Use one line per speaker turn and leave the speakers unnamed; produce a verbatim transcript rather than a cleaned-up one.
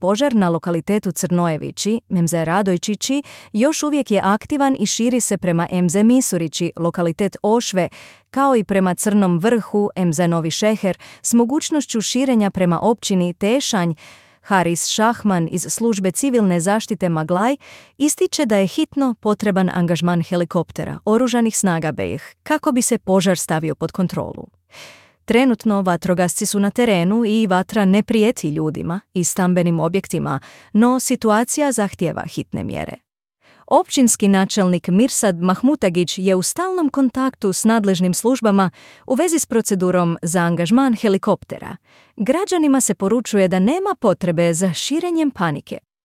požar na lokalitetu Crnojevići, M Z Radojčići, još uvijek je aktivan i širi se prema M Z Misurići, lokalitet Ošve, kao i prema Crnom Vrhu, M Z Novi Šeher, s mogućnošću širenja prema općini Tešanj. Haris Šahman iz službe civilne zaštite Maglaj ističe da je hitno potreban angažman helikoptera oružanih snaga B i H kako bi se požar stavio pod kontrolu. Trenutno vatrogasci su na terenu i vatra ne prijeti ljudima i stambenim objektima, no situacija zahtijeva hitne mjere. Općinski načelnik Mirsad Mahmutagić je u stalnom kontaktu s nadležnim službama u vezi s procedurom za angažman helikoptera. Građanima se poručuje da nema potrebe za širenjem panike.